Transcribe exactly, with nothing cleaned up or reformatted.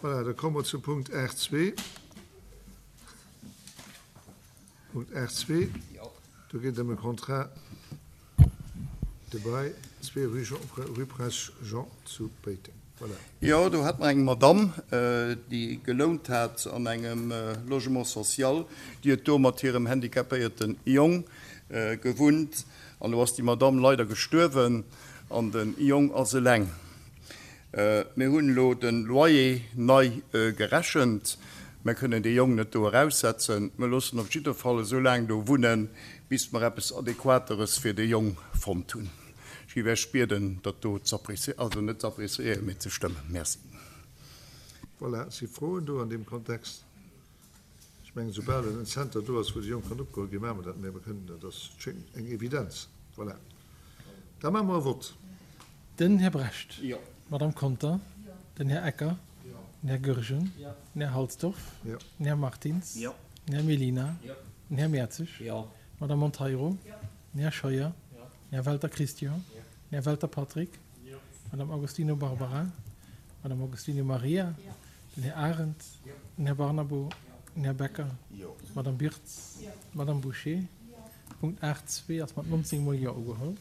Voilà, da komme mer zum Punkt aacht zwee. Punkt aacht zwee, do geet et ëm e Contrat de bail, zwee rue Jean, rue Prince Jean zu Péiteng. Voilà. Jo, do hat mer eng Madamm, déi gelount hat an engem Logement social. Déi huet do mat hirem handicapéierte Jong gewunnt. An elo ass déi Madamm leider gestuerwen an de Jong ass eleng. Mir hunn elo de Loyer nei gerechent. Mir kënnen dee Jong net do eraussetzen. Mir loossen en op jidde Fall esou laang do wunnen, bis mer eppes Adequateres fir de Jong fonnt hunn. Ech géif Iech bieden, dat do z'appréciéieren, also net z'appréciéieren, mee ze stëmmen. Merci. Voilà, si Froen do an deem Kontext? Ech mengen, soubal en Zenter do ass, wou de Jong kann opgeholl ginn, maache mer dat. Mä mir kënnen, dat ass schéngt eng Evidenz. Voilà, da maache mer e Vott. Den Här Brecht. D'Madame Conter. Den Här Ecker. Den Här Goergen. Den Här Halsdorf. Den Här Martins. Den Här Mellina. Den Här Mertzig. D'Madame Monteiro. Den Här Scheuer. Den Här Welter Christian. Den Här Welter Patrick. D'Madame Agostino Barbara. D'Madame Agostino Maria. Den Här Arendt. Den Här Barnabo. Den Här Becker. D'Madame Birtz. D'Madame Bouché. Punkt aacht zwee ass mat nonzéng Mol Jo ugeholl.